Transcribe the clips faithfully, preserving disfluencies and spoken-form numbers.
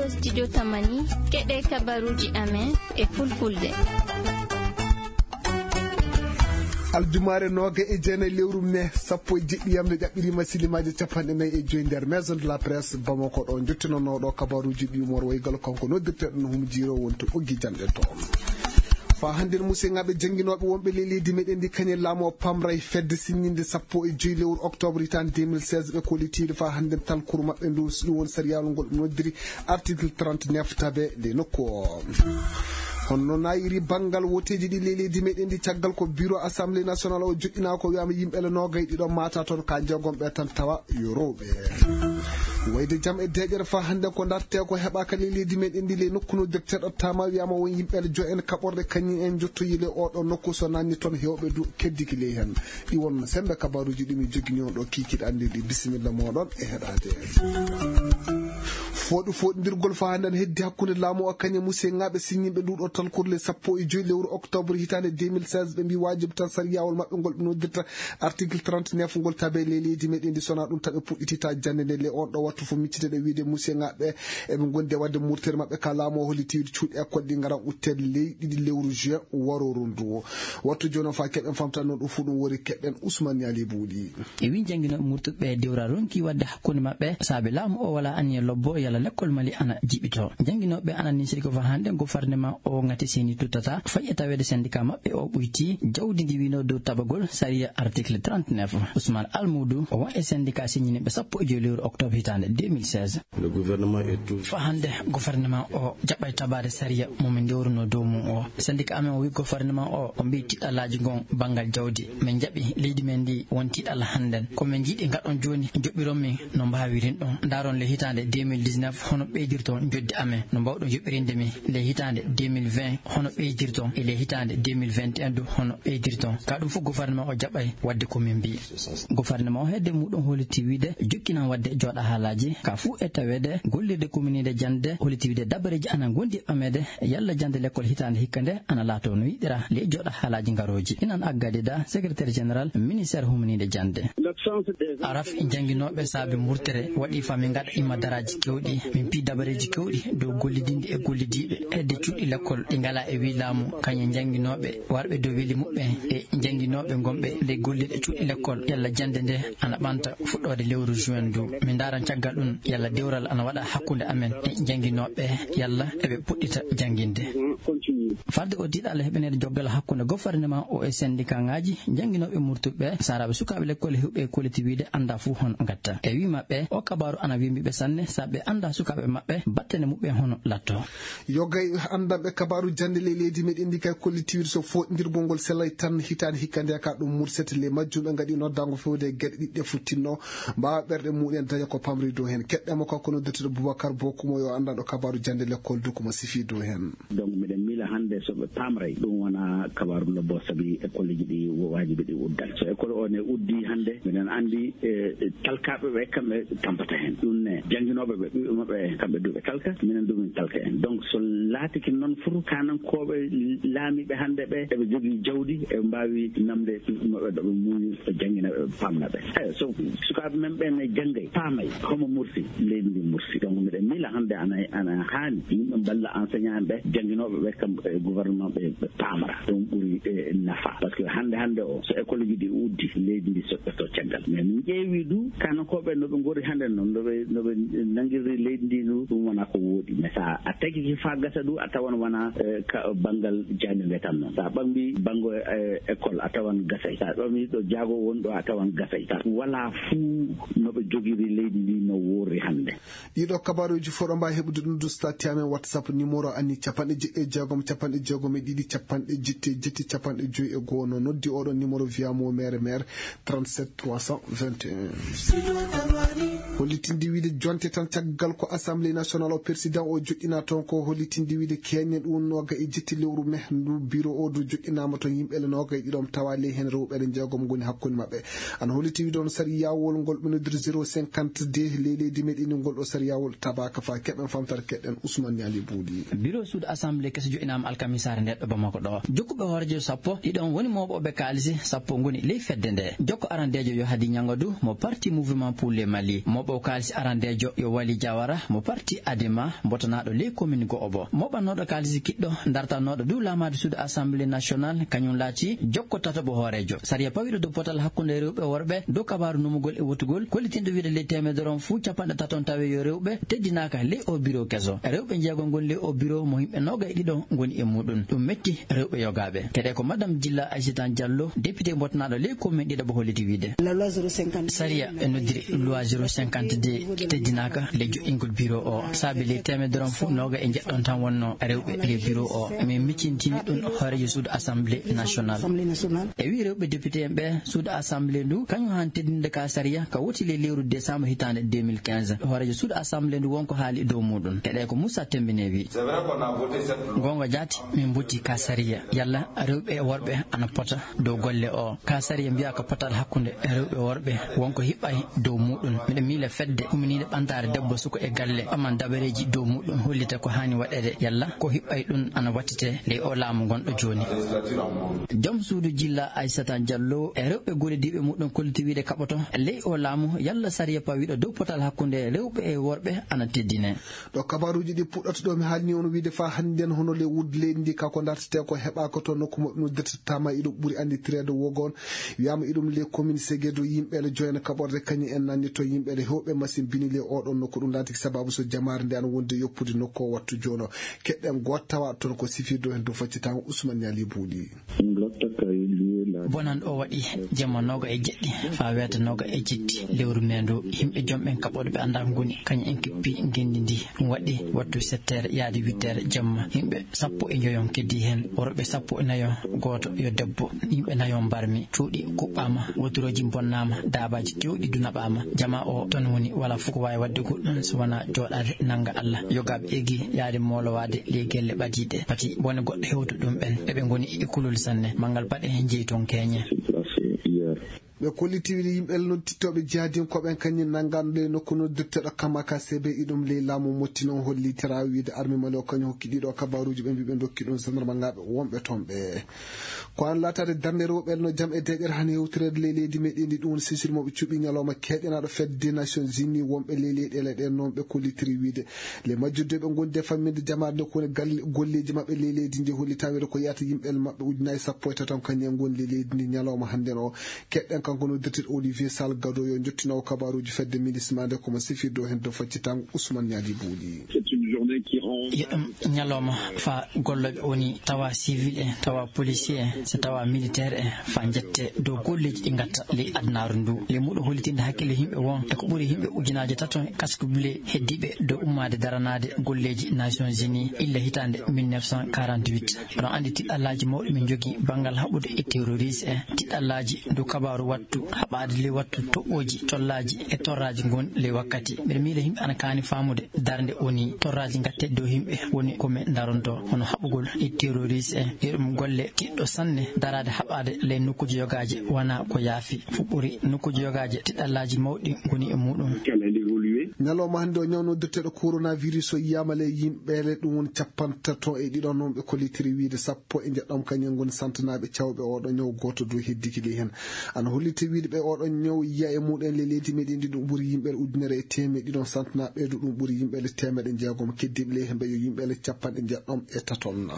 Studio Tamani, keɗe kabaruji amen e fulfulde. Aljumaare nooga e jeenayi lewru me sappo e jeɗɗi yamde ƴaɓɓiriima silimaaji capanɗe nayi e joyi nder Maison de la Presse Bamako ɗo. Jottinanooɗo kabaruuji ɗi Umar Waygal, kanko noddirteeɗo no humjiiro wonto ɓoggi janɗe toon. Faa hannden, museŋaaɓe jannginooɓe wonɓe ley leydi meɗen ndi, kañe laamu o pamray fedde sinninde sappo e joyi lewru octobre hitaande deux mille seize, ɓe kollitiiɗo faa hannden talkuru maɓɓe ndu, ɗum woni sariyaalu ngol ɓe noddiri article trente-neuf tabe ley nokku o. Honno nayiri banngal woteeji ɗi ley leydi meɗen ndi, caggal ko bureau assemblée nationale o joƴƴinaa ko wiyaama yimɓe le noogay ɗiɗo maata toon, ka jeegom ɓe tan tawa yo rewɓe. Wayde jam e deeƴere faa hannden ko dartee ko heɓaaka ley leydi meɗen ndi, ley nokku no directeur o taama wiyaama won yimɓe le jo'en kaɓorɗe kañum en njottoyi ley oo ɗoo nokku, so naanni toon heewɓe du keddiki ley heen. Ɗi won sembe kabaruuji ɗi mi joginoo ɗo kiikiiɗe anndi ɗi. Bisimilla mooɗon e heɗaade. Fooɗu fooɗindirgol faa hannden heddi hakkunde laamu o kañum e museŋaaɓe siññinɓe ndu ɗo talkuru le sappo e joyi lewru octobre hitaande deux mille seize, ɓe mbi waajibi tan sariyaawol maɓɓe ngol ɓe noddirta article trente-neuf ngol tabe ley leydi meɗen ndi, so na ɗum taɓe puɗɗititta jannde nde. Le on ɗo wattu fof miccite ɗe wiide museŋaaɓe eɓe ngondi e waɗde murtere maɓɓe ka laamu o holliti cuuɗi école ɗi ngaran utteede ley ɗiɗi lewru juin warooru ndu. Wattu jooni o faa keɓen famtan no ɗum fuu ɗum wori, keɓen Ousmane Niali Buuɗi. E wii jannginooɓe murtuɓe dewra ronki waɗde hakkunde maɓɓe saabe laamu o wala aniya lobbo yalla lekkol Mali ana jiɓito. Jannginooɓe ana nisiri ko faa hannde gofarnema o ngati seni tuttata fay e taweede syndicat maɓɓe o ɓuyti jawdi ndi wino dow tabagol sariya article trente-neuf. Ousmane Almoudou o won e syndicat siññiniiɓe sappo e joyi lewru octobre hitaande deux mille seize. Le gouvernement est tout. Faa hannde gofarnema o jaɓɓay tabaade sariya mo min ndewruno dow mum o. Syndicat amen o wi gofarnema o, o mbi tiɗɗalaaji ngon banngal jawdi. Min jaɓi leydi men ndi won tiɗal hannden. Ko min njiɗi ngaɗon jooni, joɓɓiron min no mbaawirin ɗon. Ndaaron le hitaande deux mille dix-neuf hono ɓeydirton joddi amen. No mbaawɗon joɓɓirinde min le hitaande deux mille vingt hono ɓeydirton, e le hitaande deux mille vingt et un du hono ɓeydirton. Ka ɗum fof gofarnema o jaɓay waɗde ko min mbi. Gofarnema o hedde muɗum holliti wiide jokkinan waɗde jooɗa haalaaji ka fuu e taweede gollirde kuminiinde jannde, holliti wiide dabareeji ana ngondi e ɓameede yalla jannde lekkol hitaande hikka nde ana laato no yiɗira ley jooɗa haalaaji ngarooji. Inan aggadida secrétaire général ministère humniinde jannde. Araf jannginooɓe saabe murtere waɗi faa min ngaɗa imma daraaji kewɗi, min pii dabareeji kewɗi dow gollidinde e gollidiiɓe hedde cuuɗi lekkol ɗi ngalaa e wii laamu, kañum jannginooɓe warɓe dow weli muɓɓen e jannginooɓe ngonɓe ley gollirɗe cuuɗi lekkol yalla jannde nde ana ɓanta fuɗɗoode lewru juin ndu. Min ndaaran caggal ɗum yalla dewral ana waɗa hakkunde amen e jannginooɓe yalla eɓe puɗɗita jannginde. Faalde o tiiɗalla heɓaneede joggal hakkunde gofarnema o e syndicat ŋaaji jannginooɓe murtuɓe saaraaɓe sukaaɓe lekkol e huɓɓe kolliti wiide annda fuu hono ngatta. E wii maɓɓe o kabaaru ana wembiɓe sanne sabu ɓe annda sukaaɓe maɓɓe battane muɓɓen hono latto. Yogay anndanɓe kabaaru jannde ley leydi meɗen ndi kay kolliti wiide so fooɗindirgol ngol selay tan hitaande hikka nde ka ɗum mursete ley majjum ɓe ngaɗi noddaango fewde e geɗe ɗiɗɗe futtinno mbaawa ɓerɗe muɗen daña ko pamri dow heen. Keɗɗema kanko noddirteɗo Boubacar Bokumo yo anndanɗo kabaaru jannde lekkol du ko mo sifi dow heen. Donc miɗen miila hannde so ɓe pamray ɗum wona kabaaru lobbo sabi écoleji ɗi waajibi ɗi uddan. So école o ne uddi hannde miɗen anndi e talkaaɓe ɓe kamɓe tampata heen. Ɗum ne jannginooɓe ɓe ɓiɓɓe maɓɓe kamɓe du ɓe talka, minen du min talka en. Donc so laatiki noon furu kanankooɓe laamiiɓe hannde ɓe eɓe jogii jawdi eɓe mbaawi namde ɓiɓɓe maɓɓe ɗo ɓe muuyi ɓe janngina ɓe pamna ɓe. Eyo so sukaaɓe men ɓen ne janngay paamay homo mursi leydi ndi mursi. Donc miɗen miila hannde ana ana haani yimɓe mballa enseignant ɓe jannginooɓe ɓe kam e gouvernement ɓe ɓe paamara ɗum ɓuri e nafa. Parce que hannde hannde o so école ji ɗi uddi leydi ndi soƴƴoto caggal. Mais min ƴeewi du kanankooɓe no ɓe ngori hannde noon no ɓe no ɓe nanngirri leydi ndi du ɗum wona ko wooɗi. Mais so a tagiki faa gasa du a tawan wona e ka banngal jaaño nge tan noon. So a ɓambi banngo e école a tawan gasay. So a ɓambi ɗo jaago woni ɗo a tawan gasay. So wala fuu no ɓe jogiri leydi ndi no worri hannde. Ɗiɗo kabaruuji fof ɗo mbaawi heɓude ɗum du stati amen WhatsApp numéro anni capanɗe jeɗɗi e jeegom capanɗe jeegom e ɗiɗi capanɗe jetti e jetti capanɗe joyi e goo. No noddi oɗon numéro via mo mere mere trente-sept trois cent vingt et un. Hollitinde wiide jonte tan caggal ko Assemblée nationale o président o joɗɗina toon ko hollitinde wiide keñen ɗum nooga e jetti lewru me ndu bureau o du joɗɗinaama toon yimɓe le nooga e ɗiɗom tawa ley heen rewɓe le jeegom ngoni hakkunde maɓɓe. Ana holliti wiide on sariyawol ngol ɓe nodiri zéro cinquante-deux ley leydi meɗen ngol ɗo sariyawol tabaka fa keɓen famtata keɗen Ousmane Niali Buuɗi. Bureau suudu assemblée keso joɗɗinaama alkamisaare nde ɗo Bamako ɗo. Jokkuɓe hooreejo sappo ɗiɗon woni mooɓooɓe kaalisi sappo ngoni ley fedde nde. Jokko arandeejo yo Hadi Ñangodu mo parti Mouvement pour le Mali. Mooɓo O kaalisi arandeejo yo Wali Jawara mo parti Adema, mbotanaaɗo ley komin go'obo. Moɓannooɗo kaalisi kiɗɗo, dartanooɗo dow laamaade suudu Assemblée nationale, kañum laati jokko tataɓo hooreejo. Sariya pawiiɗo dow potal hakkunde rewɓe e worɓe dow kabaaru numugol e wotugol, kollitinɗo wiide ley teemedere on fuu capanɗe taton tawi yo rewɓe teddinaaka ley o biro keso. Rewɓe njeego ngon ley o biro mo yimɓe nooga e ɗiɗo ngoni e muuɗum. Ɗum metti rewɓe yogaaɓe. Kadi ko Madame Jilla Aissata Diallo, député mbotanaaɗo ley komin ɗiɗaɓo holliti wiide. Sariya e noddiri loi zéro cinquante-deux teddinaaka ley joɗɗingol biro o. Saabi ley teemedere on fof nooga e jeɗɗon tan wonno rewɓe ley biro o. Min miccintini ɗum hooreejo suudu Assemblée nationale. E wi rewɓe député en ɓe suudu Assemblée ndu, kañum han teddinde ka sariya ka woti ley lewru décembre hitaande deux mille quinze. Hooreejo suudu Assemblée ndu wonko haali dow muɗum. Keɗe ko Moussa Tembine wi. Gonga jaati, min mbotti ka sariya. Yalla rewɓe e worɓe ana pota dow golle o. Ka sariya mbiya ko potal hakkunde rewɓe e worɓe wonko hiɓɓay dow muɗum. Miɗo miila fedde umminiinde ɓantaare debbo suka e galle ɓaman dabareeji dow muɗum hollita ko haani waɗeede. Yalla ko hiɓɓay ɗum ana wattite ley o laamu gonɗo jooni. Joom suudu Jilla Aissata Diallo e rewɓe gollodiiɓe muɗum kolliti wiide kaɓoto ley o laamu yalla sariya pawiiɗo dow potal hakkunde rewɓe e worɓe ana teddine. Ɗo kabaaruuji ɗi puɗɗata ɗo mi haalni on wiide faa hannden hono ley wuddu leydi ndi ka ko dartetee ko heɓaaka to nokku mo ɗum dirtataama iɗum ɓuri annditireede wogon. Wiyaama iɗum ley commune Segedo yimɓe le joyana kaɓorde kañum en nanni to yimɓe le hewɓe machine bini ley oɗon nokku ɗum laati sababu so jamaare nde ana wondi yoppude nokku o wattu joono. Keɗɗen gooto tawa toon ko sifirde o heen dow faccitango Ousmane Niali Bouli. Bonande o waɗi jamma nooga e jeɗɗi faa weeta nooga e jeɗɗi lewru mee ndu. Yimɓe joom ɓen kaɓɓoɗo ɓe anndaa ko ngoni, kañum en kippi ngenndi ndi. Ɗum waɗi wattu sept heures yaade huit heures jamma. Yimɓe sappo e njoyon keddi heen, worɓe sappo e nayo, gooto yo debbo. Yimɓe nayo mbarmi, cuuɗi kuɓɓaama, woturoji mbonnaama, daabaaji kewɗi du naɓaama. Jamaa o tan woni, walaa fof ko waawi waɗde goɗɗum so wonaa jooɗaade nannga Allah. Yogaaɓe eggii yaade moolowaade ley gelle ɓadiiɗe. Pati bone goɗɗo hewta ɗum ɓen. Eɓe ngoni e kulol sanne. Manngal paɗe heen jeyi toon keeñe. Ɓe kolliti wiide yimɓe noddittooɓe jihadinkooɓe en kañum nanngan ley nokku noddirteeɗo Kamaka C B iɗum ley laamu Mottino hollitira wiide arme Mali o kañum hokki ɗiɗo kabaaruuji ɓe mbii ɓe ndokki ɗum sandarma ngaaɓe wonɓe toon ɓe. Ko an laataade darnde rewɓe no jam e deeƴere han hewtireede ley leydi meɗen ndi ɗum woni sisir mo ɓe cuɓi ñalawma keeƴanaaɗo fedde Nations Unies wonɓe ley leyɗeele ɗe noon ɓe kollitiri wiide le majjudde ɓe ngondi e famminde jamaare nde ko woni galle golleeji maɓɓe ley leydi ndi hollitaa wiide ko yahata yimɓe maɓɓe ujunaaji sappo e taton kañum en ngoni ley leydi ndi ñalawma hannden o. Keɗɗen kanko noddirteeɗo Olivier Salgado yo jottinowo kabaaruuji fedde minisma nde komo sifirde o heen dow faccitango Ousmane Niali Bouli. Yeɗum ñalawma faa gollooɓe woni tawa civil en, tawa policier en, so tawa militaire en faa jette dow golleeji ɗi ngatta ley adunaaru ndu. Ley muɗo hollitinde hakkille yimɓe won e ko ɓuri yimɓe ujunaaji tato kasko bile heddiiɓe dow ummaade daranaade golleeji Nations Unies illa hitaande mille neuf cent quarante-huit. Oɗon anndi tiɗɗallaaji mawɗi min njogii banngal haɓude e terroriste en, tiɗɗallaaji dow kabaaru wattu haɓaade ley wattu toɓɓooji, tollaaji e torraaji ngon ley wakkati. Mbeɗa miila yimɓe ana kaani faamude darnde woni torraaji ngatte dow yimɓe woni ko men daronto hono haɓugol e terroriste en. Yeɗum golle tiɗɗo sanne daraade haɓaade ley nokkuuji yogaaji wonaa ko yaafi. Fuɓɓori nokkuuji yogaaji tiɗɗallaaji mawɗi ngoni e muɗum. Ñalawma hannde o ñaw noddirteeɗo coronavirus o yiyaama ley yimɓeele ɗum woni capantato e ɗiɗo noon ɓe kollitiri wiide sappo e njeɗɗo kañum ngoni santanaaɓe cawɓe oɗo ñaw gooto dow heddiki ley heen. Ana holliti wiide ɓe oɗo ñaw yiya e muɗum ley leydi meɗen ndi ɗum ɓuri yimɓeele ujunere e teemeɗe ɗiɗo santanaaɓe ɗo ɗum ɓuri yimɓeele teemeɗe jeegom keddiiɓe ley heen ɓe yo yimɓeele capanɗe njeɗɗom e taton.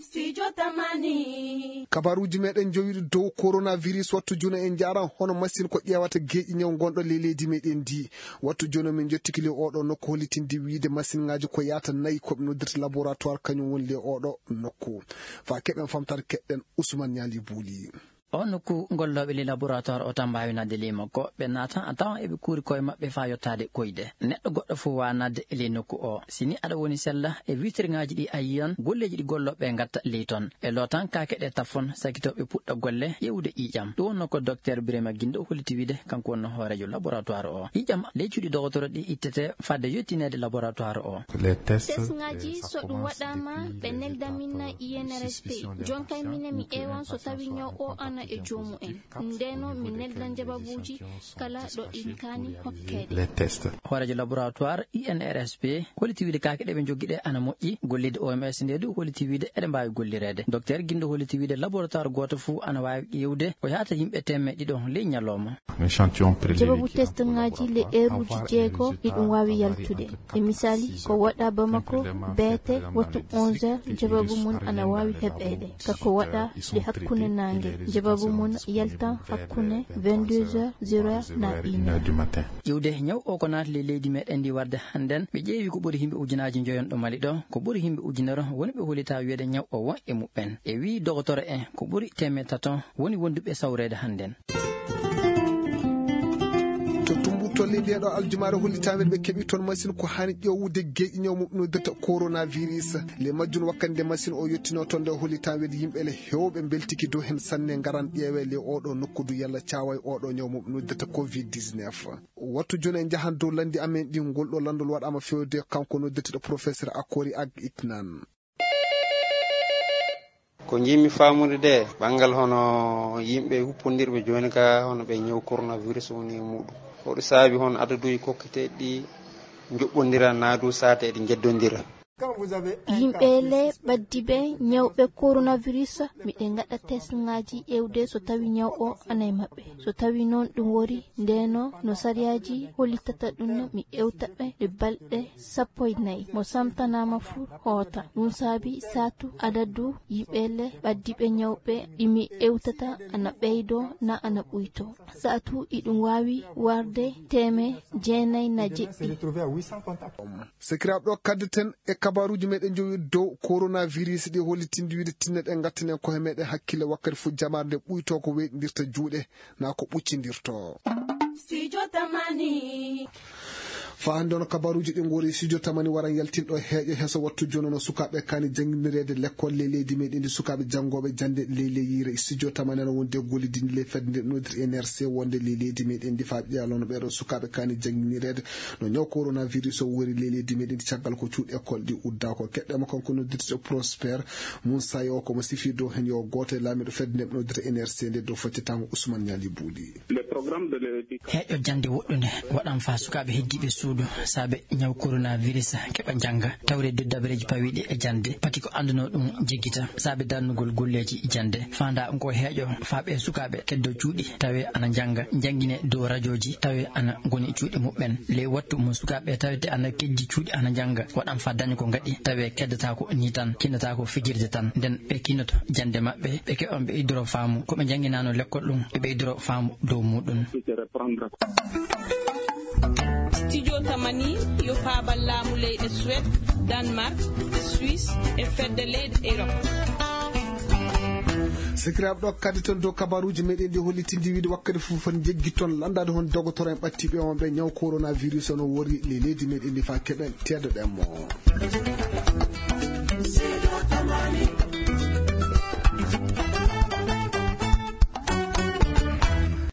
Studio Tamani. Kabaruuji meɗen jowiɗi dow coronavirus wattu juno en njaran hono machine ko ƴeewata geeƴi ñaw gonɗo ley leydi meɗen ndi. Wattu jooni min njottiki ley oɗo nokku hollitinde wiide machine ngaji ko yaata nayi ko ɓe noddirta laboratoire kañum woni ley oɗo nokku. Faa keɓen famtare keɗɗen Ousmane Niali Bouli. O nokku gollooɓe ley laboratoire o tan mbaawi naatde ley makko. Ɓe naata a tawan eɓe kuuri koye maɓɓe faa yottaade koyɗe. Neɗɗo goɗɗo fof waawaa naatde e ley nokku o. Si ni aɗa woni sella e vitrigaaji ɗi a yiyan golleeji ɗi gollooɓe ngatta ley ton. E lootan kaake ɗe taffon sakitooɓe puɗɗa golle ƴeewude ƴiiƴam. Ɗum wonno ko Docteur Birima Guindo holliti wiide kanko wonno hooreejo laboratoire o. Ƴiiƴam ley cuuɗi dogotoro ɗi ittete fadde yottineede laboratoire o. Test ngaji so ɗum waɗaama ɓe nelda min I N R S P. Jonkay minen mi ƴeewan so tawi ñaw o an E joomu en. Ndeno mi nelda njababuuji kala ɗo ɗin kaani hokkeede. Hooreejo laboratoire I N R S P holliti wiide kaake ɗe ɓe njoggi ɗe ana moƴƴi. Golliiɗo O M S nde du holliti wiide eɗe mbaawi gollireede. Docteur Gindo holliti wiide laboratoire gooto fuu ana waawi ƴeewde ko yaata yimɓe teemeɗɗe ɗiɗo ley ñalawma. Jababu testŋaaji le eeruuji jeego iɗum waawi yaltude. E misaali, ko waɗa Bamako, beete, wattu onze heures, jababu mun ana waawi heɓeede. Ka ko waɗa le hakkunde naange, jababu mun yaltan hakkunde vingt-deux heures, zéro heure na une heure. Ƴiwde ñaw o ko naati le leydi meɗen ndi warde hannden, ɓe ƴeewi ko ɓuri himɓe ujunaaji njoyon ɗo Mali ɗo, ko ɓuri himɓe ujunere woni ɓe holita wiyeede ñaw o won e muɓɓen. E wii dogotoro en, ko ɓuri teemeɗɗe tato woni wonduɓe sawreede hannden. To Tumbutu, le ndeeɗo aljumaare holli taweede ɓe keɓi toon machine ko hani ƴeewude geeƴi ñaw mo noddirta coronavirus. Le majjum wakkati nde machine o yettino toon nde holli taweede yimɓe le heewɓe mbeltiki dow heen sanne ngaran ƴeewe le oɗo nokku du yalla caawaay oɗo ñaw mo noddirta covid dix-neuf. Wattu jooni en njahan dow lanndi amen ɗi ngol ɗo lanndol waɗaama fewde kanko noddirteɗo professeur Akori Ag Iknan. Ko njiɗmi faamude de, banngal hono yimɓe huppondirɓe jooni ka, hono ɓe ñaw coronavirus woni e muɗum. Hoɗo saabi hono adaduuji kokketeeɗi ɗi njoɓɓondira naa du saate eɗi njeddondira? Yimɓe le ɓaddi ɓe ñawɓe coronavirus, miɗe ngaɗa test ŋaaji ƴeewde so tawi ñaw o ana e maɓɓe. So tawi noon ɗum wori, ndeno no sariyaaji hollitata ɗum, mi ƴeewta ɓe ɗe balɗe sappo e nayi. Mo samtanaama fuu hoota. Ɗum saabi saatu adadu yimɓe le ɓaddiiɓe ñawɓe ɗi mi ƴeewtata ana ɓeydoo na ana ɓuytoo. Saatu iɗum waawi warde teeme jeenayi na jeɗɗi. Sekiraaɓe, ɗo kaddeten e kabaaruuji meɗen jowi dow coronavirus ɗi hollitinde wiide tinno ɗen ngattanen koye meɗen hakkille wakkati fof jamaare nde ɓuytoo ko weyɗindirta juuɗe. Na ko ɓuccindirto. Studio Tamani. Fa hannde on kabaaruuji ɗi ngori studio Tamani waran yaltinɗo heeƴo heso wattu jono no sukaaɓe kaani jannginireede lekkol ley leydi meɗen ndi sukaaɓe janngooɓe jannde ley ley yiyre. Studio Tamani ana wonde gollidinde ley fedde nde noddir N R C wonde ley leydi meɗen ndi fa ɓiyalono ɓeeɗo sukaaɓe kaani jannginireede no ñaw coronavirus o wori ley leydi meɗen ndi caggal ko cuuɗi école ɗi udda ko keɗɗe mo kanko noddirte Prosper Moussa yo ko mo sifi dow heen yo gooto e laamiiɗo fedde nde ɓe noddirta N R C nde dow faccitango Ousmane Niali Buuli. Heeƴo jannde woɗɗunde waɗan faa sukaaɓe heddiiɓe suudu saabe ñaw coronavirus keɓa njannga tawreede dabareeji pawiiɗi e jannde pati ko annduno ɗum jeggita saabe darnugol golleeji jannde. Faanda ngo heeƴo faa ɓe sukaaɓe keddo cuuɗi tawe ana njannga, njanngine dow rajooji tawe ana ngoni cuuɗi muɓɓen. Ley wattu mo sukaaɓe tawete ana keddi cuuɗi ana njannga, waɗan faa daña ko ngaɗi tawe keddataako ni tan, kinnataako fijirde tan. Nden ɓe kinnoto jannde maɓɓe, ɓe keɓan ɓe idoro faamu ko ɓe njannginano lekkol ɗum, ɓe ɓeydoro faamu dow muɗum. Studio Tamani yo faabal laamu leyɗe Suède, Danemark, Suisse e fedde leyɗe Europe. Sikiraaɓe, ɗo kadi toon dow kabaruuji meɗen ɗi hollitindi wiide wakkati fof foti jeggi toon lanndade hon dogotoro en ɓattiiɓe on ɓe ñaw coronavirus on o wori le leydi meɗen ndi faa keɓen teedoɗen mo.